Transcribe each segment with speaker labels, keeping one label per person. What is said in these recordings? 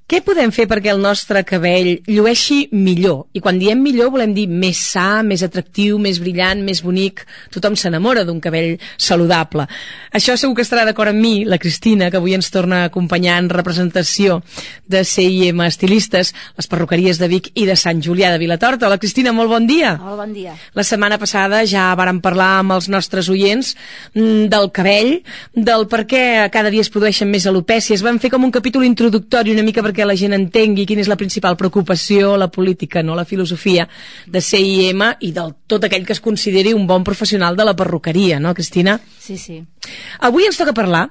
Speaker 1: Què podem fer perquè el nostre cabell llueixi millor? I quan diem millor volem dir més sa, més atractiu, més brillant, més bonic. Tothom s'enamora d'un cabell saludable. Això segur que estarà d'acord amb mi, la Cristina, que avui ens torna a acompanyar en representació de CIM Estilistes, les perruqueries de Vic i de Sant Julià de Vilatorta. Hola, Cristina, molt bon dia.
Speaker 2: Hola, bon dia.
Speaker 1: La setmana passada ja vàrem parlar amb els nostres oients del cabell, del per què cada dia es produeixen més alopècies. Vam fer com un capítol introductori una mica perquè la gent entengui quina és la principal preocupació, la política, no la filosofia de CIM i del tot aquell que es consideri un bon professional de la perruqueria, no, Cristina?
Speaker 2: Sí, sí.
Speaker 1: Avui ens toca parlar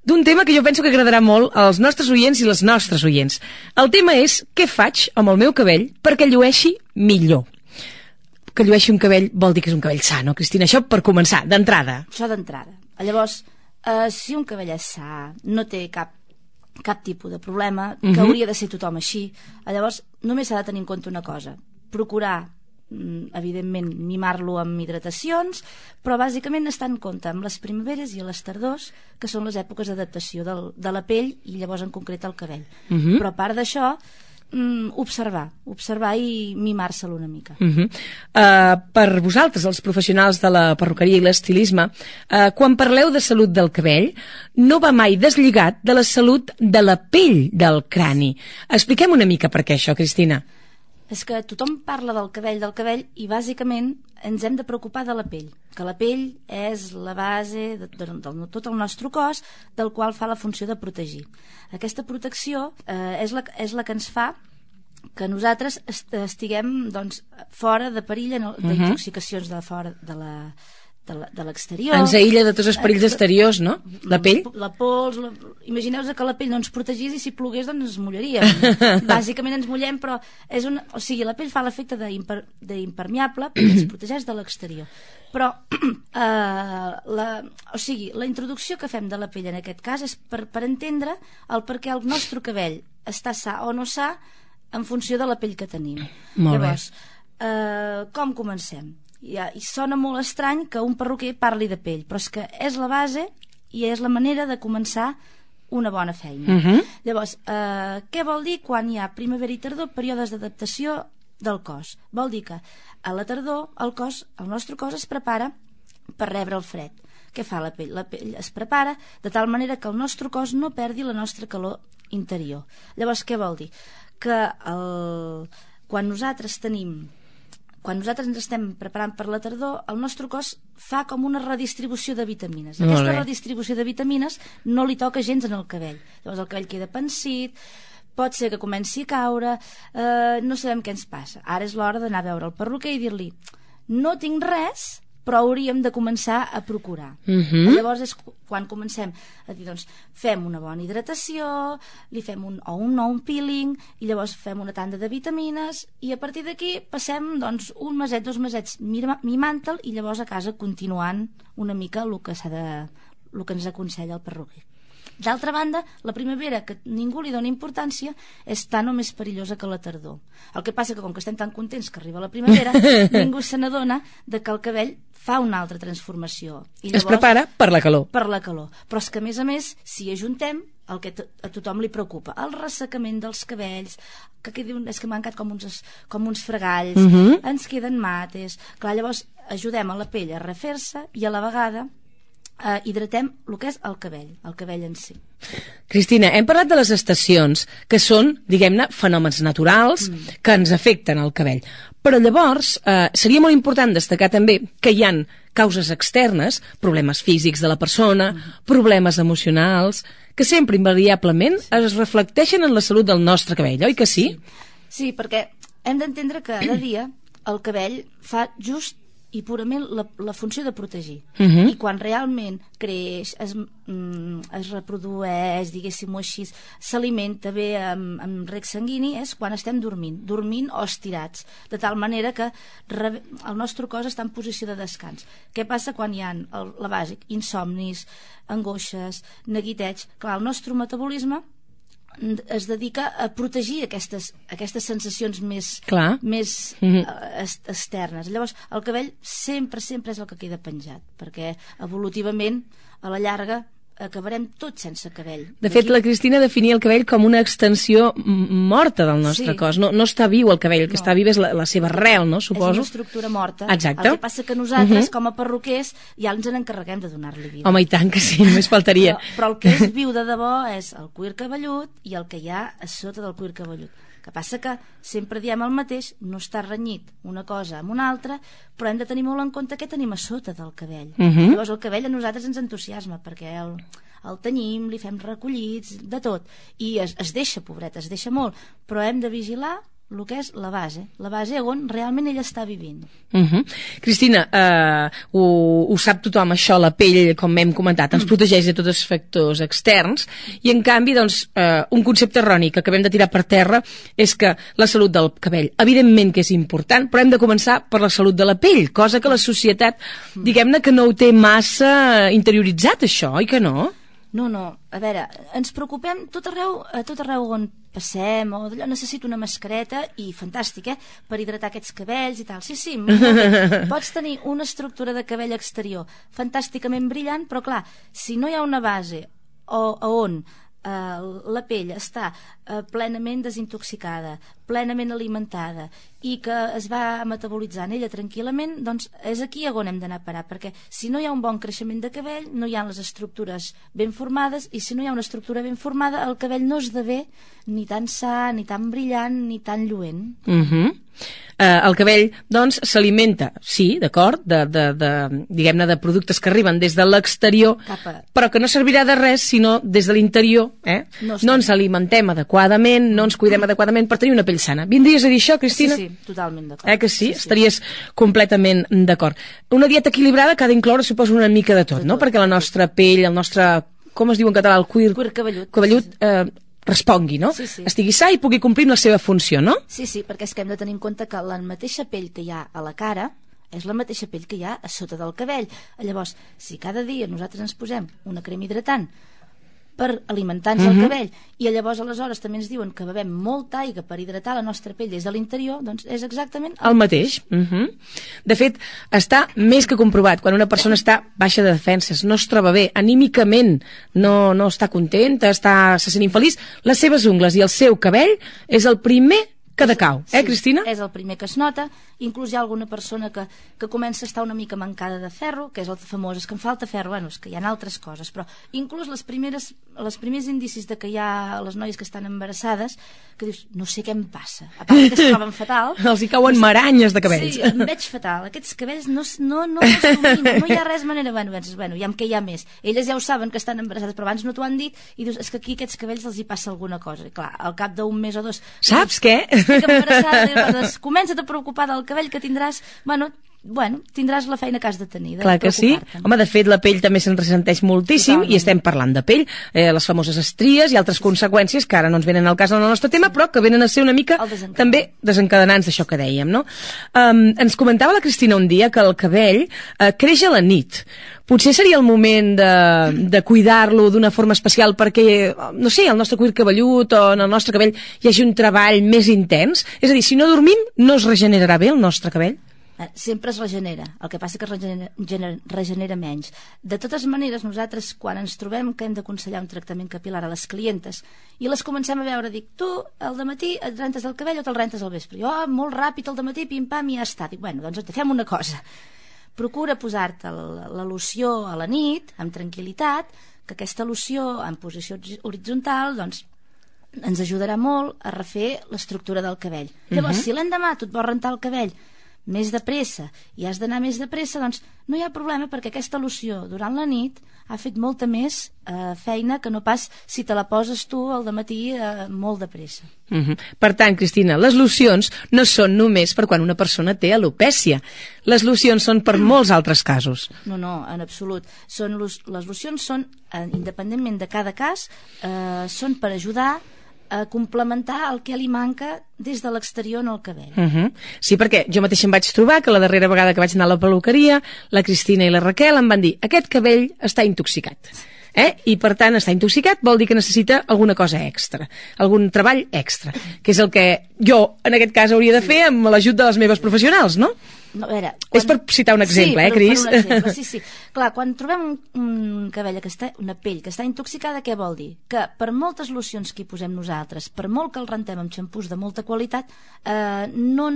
Speaker 1: d'un tema que jo penso que agradarà molt als nostres oients i les nostres oients. El tema és què faig amb el meu cabell perquè llueixi millor. Que llueixi un cabell vol dir que és un cabell sa, no, Cristina? Això per començar, d'entrada.
Speaker 2: Això d'entrada. Llavors, si un cabell és sa, no té cap tipus de problema, que hauria de ser tothom així, llavors només s'ha de tenir en compte una cosa: procurar, evidentment, mimar-lo amb hidratacions, però bàsicament estar en compte amb les primaveres i les tardors, que són les èpoques d'adaptació de la pell i llavors en concret el cabell. Però a part d'això, observar i mimar-se'l una mica.
Speaker 1: Per vosaltres, els professionals de la perruqueria i l'estilisme, quan parleu de salut del cabell, no va mai deslligat de la salut de la pell del crani. Expliquem una mica per què això, Cristina.
Speaker 2: És que tothom parla del cabell i bàsicament ens hem de preocupar de la pell, que la pell és la base de tot el nostre cos, del qual fa la funció de protegir. Aquesta protecció és la que ens fa que nosaltres estiguem fora de perill d'intoxicacions de fora de l'exterior.
Speaker 1: Ens aïlla de tots els perills exteriors, no? La pell?
Speaker 2: La pols, imagineu-vos que la pell no ens protegís i si plogués doncs ens mulleríem. Bàsicament ens mullem, però la pell fa l'efecte d'impermeable perquè ens protegeix de l'exterior. Però la introducció que fem de la pell en aquest cas és per entendre el per què el nostre cabell està sa o no sa en funció de la pell que tenim. Llavors, com comencem? I sona molt estrany que un perruquer parli de pell, però és que és la base i és la manera de començar una bona feina. Llavors, què vol dir quan hi ha primavera i tardor, períodes d'adaptació del cos? Vol dir que a la tardor el nostre cos es prepara per rebre el fred. Què fa la pell? La pell es prepara de tal manera que el nostre cos no perdi la nostra calor interior. Llavors, què vol dir? Que quan nosaltres ens estem preparant per la tardor, el nostre cos fa com una redistribució de vitamines. Aquesta redistribució de vitamines no li toca gens en el cabell. Llavors el cabell queda pansit, pot ser que comenci a caure, no sabem què ens passa. Ara és l'hora d'anar a veure el perruquer i dir-li: no tinc res, però hauríem de començar a procurar. Llavors és quan comencem a dir, doncs, fem una bona hidratació, li fem un peeling, i llavors fem una tanda de vitamines, i a partir d'aquí passem un meset, 2 mesets mimant-te'l, i llavors a casa continuant una mica el que ens aconsella el perruquer. D'altra banda, la primavera, que ningú li dona importància, és tan o més perillosa que la tardor. El que passa que com que estem tan contents que arriba la primavera, ningú se n'adona que el cabell fa una altra transformació. I llavors,
Speaker 1: es prepara per la calor.
Speaker 2: Per la calor. Però és que, a més, si ajuntem el que a tothom li preocupa, el ressecament dels cabells, que diuen és que m'han quedat com uns fregalls, ens queden mates. Clar, llavors ajudem a la pell a refer-se i a la vegada hidratem el que és el cabell en si.
Speaker 1: Cristina, hem parlat de les estacions, que són, diguem-ne, fenòmens naturals que ens afecten el cabell. Però llavors seria molt important destacar també que hi han causes externes, problemes físics de la persona, problemes emocionals, que sempre invariablement es reflecteixen en la salut del nostre cabell, oi que sí?
Speaker 2: Sí, perquè hem d'entendre que cada dia el cabell fa just i purament la funció de protegir. I quan realment creix, es reprodueix, diguéssim-ho així, s'alimenta bé amb rec sanguini, és quan estem dormint o estirats, de tal manera que el nostre cos està en posició de descans. Què passa quan hi ha la bàsic? Insomnis, angoixes, neguiteig. Clar, el nostre metabolisme es dedica a protegir aquestes sensacions més externes. Llavors el cabell sempre és el que queda penjat, perquè evolutivament a la llarga acabarem tots sense cabell.
Speaker 1: De fet, la Cristina definia el cabell com una extensió morta del nostre cos. No està viu el cabell, el que està viu és la seva arrel, no? Suposo.
Speaker 2: És una estructura morta.
Speaker 1: Exacte.
Speaker 2: El que passa que nosaltres, com a perruquers, ja ens n'encarreguem de donar-li vida.
Speaker 1: Home, i tant que sí, només faltaria.
Speaker 2: Però el que és viu de debò és el cuir cabellut i el que hi ha a sota del cuir cabellut. Que passa que sempre diem el mateix, no està renyit una cosa amb una altra, però hem de tenir molt en compte què tenim a sota del cabell. Llavors el cabell a nosaltres ens entusiasma, perquè el tenyim, li fem recollits, de tot, i es deixa, pobret, es deixa molt, però hem de vigilar el que és la base on realment ell està vivint.
Speaker 1: Cristina, ho sap tothom això, la pell, com hem comentat, ens protegeix de tots els factors externs, i en canvi, doncs, un concepte erroni que acabem de tirar per terra és que la salut del cabell, evidentment que és important, però hem de començar per la salut de la pell, cosa que la societat, diguem-ne que no ho té massa interioritzat, això, oi que no?
Speaker 2: No, a veure, ens preocupem a tot arreu on passem, o d'allò, necessito una mascareta, i fantàstic, per hidratar aquests cabells i tal. Sí, molt bé. Pots tenir una estructura de cabell exterior fantàsticament brillant, però clar, si no hi ha una base on la pell està plenament desintoxicada, plenament alimentada i que es va metabolitzant ella tranquil·lament, doncs és aquí on hem d'anar a parar, perquè si no hi ha un bon creixement de cabell no hi ha les estructures ben formades, i si no hi ha una estructura ben formada el cabell no esdevé ni tan sa, ni tan brillant, ni tan lluent.
Speaker 1: El cabell, doncs, s'alimenta, sí, d'acord, diguem-ne, de productes que arriben des de l'exterior, però que no servirà de res sinó des de l'interior, no ens alimentem adequadament, no ens cuidem adequadament per tenir una pell sana. Vindries a dir això, Cristina?
Speaker 2: Sí, totalment d'acord.
Speaker 1: Que sí? Estaries completament d'acord. Una dieta equilibrada que ha d'incloure, suposo, una mica de tot, no? Perquè la nostra pell, el nostre, com es diu en català, el cuir cabellut, respongui, no? Estigui sa i pugui complir la seva funció, no?
Speaker 2: Sí, perquè és que hem de tenir en compte que la mateixa pell que hi ha a la cara és la mateixa pell que hi ha a sota del cabell. Llavors, si cada dia nosaltres ens posem una crema hidratant per alimentar-nos el cabell, i llavors aleshores també ens diuen que bevem molta aigua per hidratar la nostra pell des de l'interior, doncs és exactament
Speaker 1: el mateix. De fet, està més que comprovat, quan una persona està baixa de defenses, no es troba bé, anímicament no està contenta, se sent infeliç, les seves ungles i el seu cabell és el primer que decau, Cristina?
Speaker 2: És el primer que es nota. Inclús hi ha alguna persona que comença a estar una mica mancada de ferro, que és el famós, és que em falta ferro, bueno, és que hi ha altres coses, però inclús els primers indicis de que hi ha les noies que estan embarassades, que dius, no sé què em passa, a part que es troben fatal.
Speaker 1: Els hi cauen maranyes de cabells.
Speaker 2: Sí, em veig fatal, aquests cabells no els domino, no hi ha res manera, bueno, ja amb què hi ha més. Elles ja ho saben que estan embarassades, però abans no t'ho han dit, i dius, és que aquí aquests cabells els hi passa alguna cosa. I clar, al cap d'un mes o dos...
Speaker 1: Saps què?
Speaker 2: Estic embarassada, comença't a preocupar del cabell que tindràs, bueno, tindràs la feina que has de tenir.
Speaker 1: Clar que sí. Home, de fet, la pell també se'n ressenteix moltíssim. Totalment. I estem parlant de pell, les famoses estries i altres conseqüències que ara no ens venen al cas del nostre tema, però que venen a ser una mica també desencadenants d'això que dèiem, no? Ens comentava la Cristina un dia que el cabell creix a la nit. Potser seria el moment de cuidar-lo d'una forma especial perquè, no sé, el nostre cuir cabellut o en el nostre cabell hi hagi un treball més intens? És a dir, si no dormim, no es regenerarà bé el nostre cabell?
Speaker 2: Sempre es regenera, el que passa que regenera menys. De totes maneres, nosaltres quan ens trobem que hem d'aconsellar un tractament capilar a les clientes i les comencem a veure, dic, tu al dematí et rentes el cabell o te'l rentes al vespre? Jo, molt ràpid al dematí, pim-pam, i ja està. Dic, bueno, doncs fem una cosa. Procura posar-te la loció a la nit, amb tranquil·litat, que aquesta loció en posició horitzontal, doncs, ens ajudarà molt a refer l'estructura del cabell. Llavors, si l'endemà tu et vols rentar el cabell més de pressa i has d'anar més de pressa, doncs no hi ha problema, perquè aquesta loció durant la nit ha fet molta més feina que no pas si te la poses tu al dematí molt de pressa.
Speaker 1: Per tant, Cristina, les locions no són només per quan una persona té alopècia. Les locions són per molts altres casos.
Speaker 2: No, en absolut. Les locions són, independentment de cada cas, són per ajudar a complementar el que li manca des de l'exterior en el cabell.
Speaker 1: Sí, perquè jo mateixa em vaig trobar que la darrera vegada que vaig anar a la peluqueria, la Cristina i la Raquel em van dir, aquest cabell està intoxicat. I per tant estar intoxicat vol dir que necessita alguna cosa extra, algun treball extra, que és el que jo en aquest cas hauria de fer amb l'ajut de les meves professionals, no?
Speaker 2: No, a veure,
Speaker 1: És per citar un exemple, Cris?
Speaker 2: Per un exemple, sí. Clar, quan trobem un cabell una pell que està intoxicada, què vol dir? Que per moltes locions que hi posem nosaltres, per molt que el rentem amb xampús de molta qualitat, no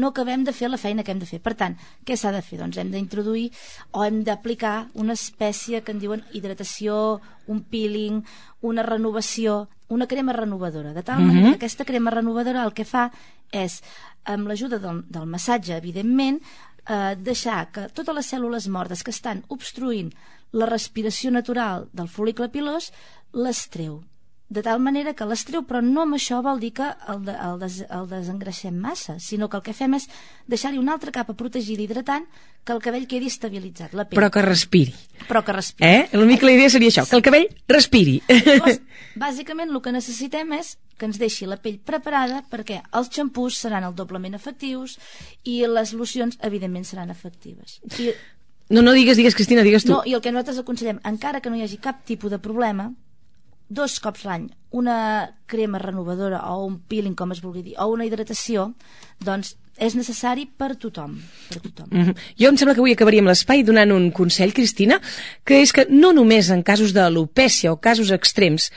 Speaker 2: acabem de fer la feina que hem de fer. Per tant, què s'ha de fer? Doncs hem d'introduir o hem d'aplicar una espècie que en diuen hidratació, un peeling, una renovació, una crema renovadora, de tal manera que aquesta crema renovadora el que fa és, amb l'ajuda del massatge, evidentment, deixar que totes les cèl·lules mortes que estan obstruint la respiració natural del fol·licle pilós les treu. De tal manera que les treu, però no amb això vol dir que el desengreixem massa, sinó que el que fem és deixar-hi una altra capa protegida i hidratant que el cabell quedi estabilitzat, la pell.
Speaker 1: Però que respiri.
Speaker 2: Una
Speaker 1: mica la idea seria això, que el cabell respiri.
Speaker 2: Llavors, bàsicament el que necessitem és que ens deixi la pell preparada perquè els xampús seran el doblement efectius i les locions, evidentment, seran efectives.
Speaker 1: No, digues, Cristina, digues tu.
Speaker 2: No, i el que nosaltres aconsellem, encara que no hi hagi cap tipus de problema, 2 cops l'any, una crema renovadora o un peeling, com es vulgui dir, o una hidratació, doncs és necessari per tothom.
Speaker 1: Jo em sembla que avui acabaríem l'espai donant un consell, Cristina, que és que no només en casos d'alopècia o casos extrems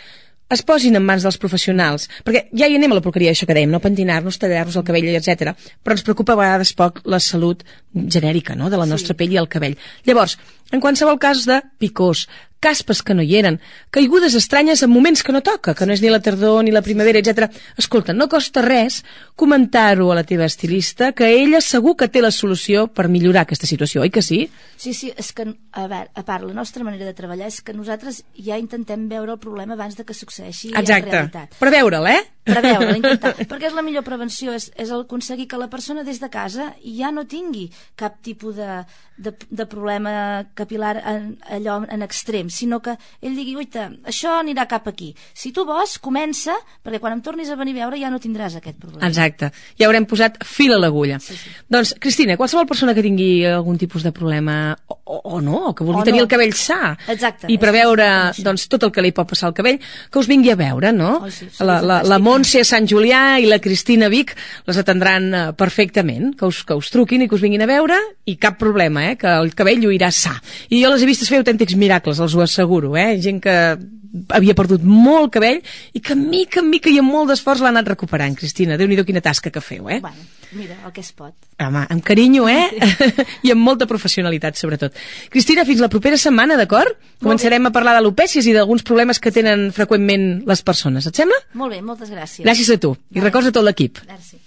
Speaker 1: es posin en mans dels professionals, perquè ja hi anem a la porqueria, això que dèiem, no pentinar-nos, tallar-nos el cabell, etc. Però ens preocupa a vegades poc la salut genèrica, no?, de la nostra pell i el cabell. Llavors, en qualsevol cas de picors, caspes que no hi eren, caigudes estranyes en moments que no toca, que no és ni la tardor ni la primavera, etc. Escolta, no costa res comentar-ho a la teva estilista, que ella segur que té la solució per millorar aquesta situació, oi que sí?
Speaker 2: Sí, és que, a part, la nostra manera de treballar és que nosaltres ja intentem veure el problema abans de que succeeixi en realitat.
Speaker 1: Preveure'l,
Speaker 2: Preveure'l, intentar, perquè és la millor prevenció, és aconseguir que la persona des de casa ja no tingui cap tipus de problema capilar allò en extrem, sinó que ell digui, oita, això anirà cap aquí. Si tu vols, comença, perquè quan em tornis a venir a veure ja no tindràs aquest problema.
Speaker 1: Exacte, ja haurem posat fil a l'agulla. Sí. Doncs, Cristina, qualsevol persona que tingui algun tipus de problema o no, que vulgui tenir el cabell sa i preveure doncs, tot el que li pot passar al cabell, que us vingui a veure, no? La Montse a Sant Julià i la Cristina a Vic les atendran perfectament, que us truquin i que us vinguin a veure i cap problema, que el cabell lluirà sa. I jo les he vistes fer autèntics miracles, els ho asseguro, gent que havia perdut molt cabell i que mica en mica i amb molt d'esforç l'ha anat recuperant. Cristina, Déu-n'hi-do quina tasca que feu,
Speaker 2: Bueno, mira, el que es pot.
Speaker 1: Home, amb carinyo, i amb molta professionalitat, sobretot. Cristina, fins la propera setmana, d'acord? Començarem a parlar d'alopècies i d'alguns problemes que tenen freqüentment les persones. Et sembla?
Speaker 2: Molt bé, moltes gràcies.
Speaker 1: Gràcies a tu. I records a tot l'equip.
Speaker 2: Gràcies.